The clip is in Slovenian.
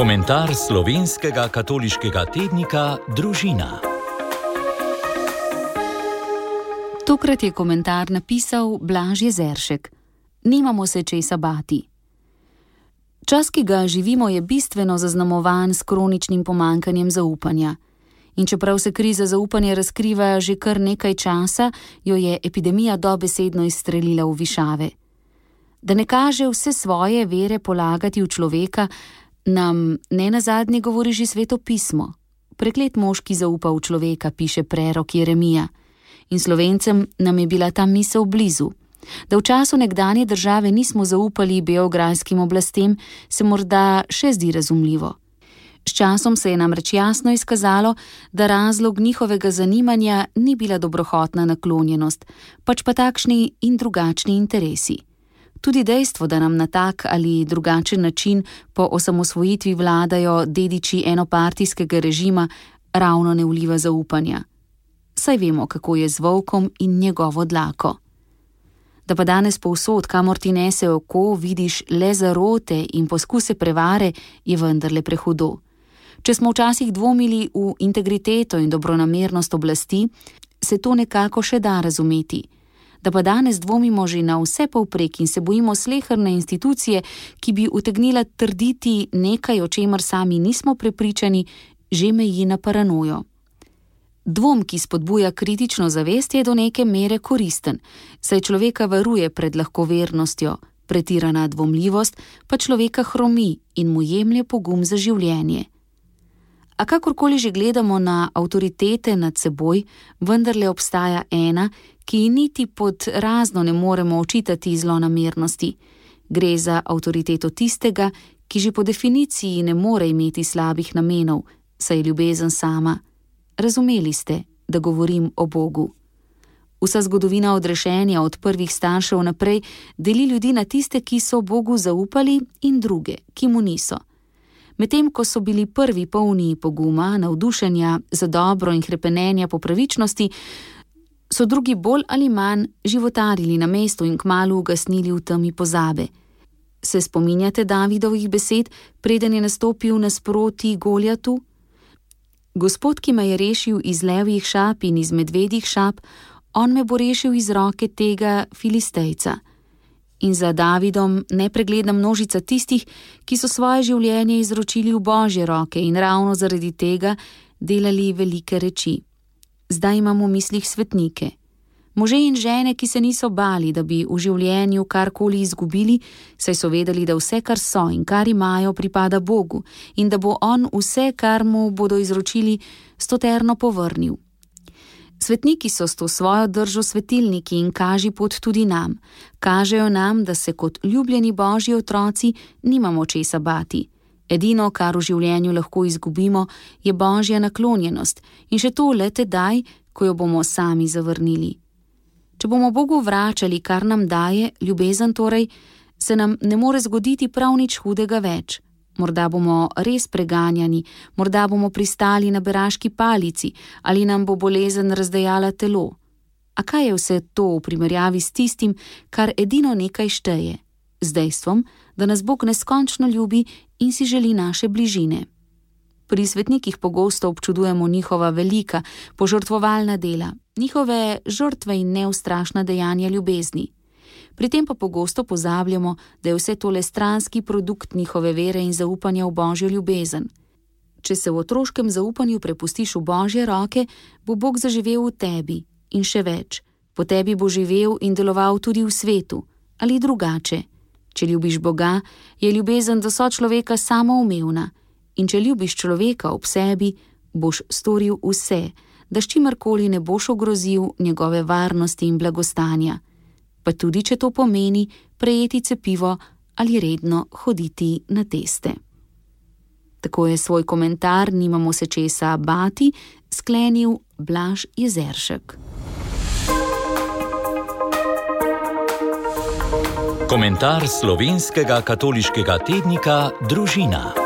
Komentar slovenskega katoliškega tednika Družina. Tokrat je komentar napisal Blaž Jezeršek. Nimamo se česa bati. Čas, ki ga živimo, je bistveno zaznamovan s kroničnim pomanjkanjem zaupanja. In čeprav se kriza zaupanja razkriva že kar nekaj časa, jo je epidemija dobesedno izstrelila v višave. Da ne kaže vse svoje vere polagati v človeka, nam nenazadnje govori že Sveto pismo. Preklet mož, ki zaupa v človeka, piše prerok Jeremija. In Slovencem nam je bila ta misel blizu. Da v času nekdanje države nismo zaupali beograjskim oblastem, se morda še zdi razumljivo. S časom se je namreč jasno izkazalo, da razlog njihovega zanimanja ni bila dobrohotna naklonjenost, pač pa takšni in drugačni interesi. Tudi dejstvo, da nam na tak ali drugačen način po osamosvojitvi vladajo dediči enopartijskega režima, ravno ne vliva zaupanja. Saj vemo, kako je z volkom in njegovo dlako. Da pa danes povsod, kamor ti nese oko, vidiš le zarote in poskuse prevare, je vendarle prehudo. Če smo včasih dvomili v integriteto in dobronamernost oblasti, se to nekako še da razumeti. Da pa danes dvomimo že na vse povprek in se bojimo sleherne institucije, ki bi utegnila trditi nekaj, o čemer sami nismo prepričani, že meji na paranojo. Dvom, ki spodbuja kritično zavest, je do neke mere koristen, saj človeka varuje pred lahkovernostjo, pretirana dvomljivost pa človeka hromi in mu jemlje pogum za življenje. A kakorkoli že gledamo na avtoritete nad seboj, vendarle obstaja ena, ki niti pod razno ne moremo očitati zlonamernosti. Gre za avtoriteto tistega, ki že po definiciji ne more imeti slabih namenov, saj je ljubezen sama. Razumeli ste, da govorim o Bogu. Vsa zgodovina odrešenja od prvih staršev naprej deli ljudi na tiste, ki so Bogu zaupali, in druge, ki mu niso. Medtem ko so bili prvi polni poguma, navdušenja za dobro in hrepenenja po pravičnosti, so drugi bolj ali manj životarili na mestu in kmalu ugasnili v temi pozabe. Se spominjate Davidovih besed, preden je nastopil nasproti Goljatu? Gospod, ki me je rešil iz levjih šap in iz medvedjih šap, on me bo rešil iz roke tega Filistejca. In za Davidom nepregledna množica tistih, ki so svoje življenje izročili v Božje roke in ravno zaradi tega delali velike reči. Zdaj imamo v mislih svetnike. Može in žene, ki se niso bali, da bi v življenju karkoli izgubili, saj so vedeli, da vse, kar so in kar imajo, pripada Bogu in da bo on vse, kar mu bodo izročili, stoterno povrnil. Svetniki so s to svojo držo svetilniki in kaži pot tudi nam. Kažejo nam, da se kot ljubljeni Božji otroci nimamo česa bati. Edino, kar v življenju lahko izgubimo, je Božja naklonjenost in še to le tedaj, ko jo bomo sami zavrnili. Če bomo Bogu vračali, kar nam daje, ljubezen torej, se nam ne more zgoditi prav nič hudega več. Morda bomo res preganjani, morda bomo pristali na beraški palici ali nam bo bolezen razdejala telo. A kaj je vse to v primerjavi s tistim, kar edino nekaj šteje? Z dejstvom, da nas Bog neskončno ljubi in si želi naše bližine. Pri svetnikih pogosto občudujemo njihova velika, požrtvovalna dela, njihove žrtve in neustrašna dejanja ljubezni. Pri tem pa pogosto pozabljamo, da je vse tole stranski produkt njihove vere in zaupanja v Božjo ljubezen. Če se v otroškem zaupanju prepustiš v Božje roke, bo Bog zaživel v tebi in še več. Po tebi bo živel in deloval tudi v svetu, ali drugače. Če ljubiš Boga, je ljubezen do sočloveka samoumevna. In če ljubiš človeka ob sebi, boš storil vse, da s čimerkoli ne boš ogrozil njegove varnosti in blagostanja. Pa tudi, če to pomeni prejeti cepivo ali redno hoditi na teste. Tako je svoj komentar Nimamo se česa bati sklenil Blaž Jezeršek. Komentar slovenskega katoliškega tednika Družina.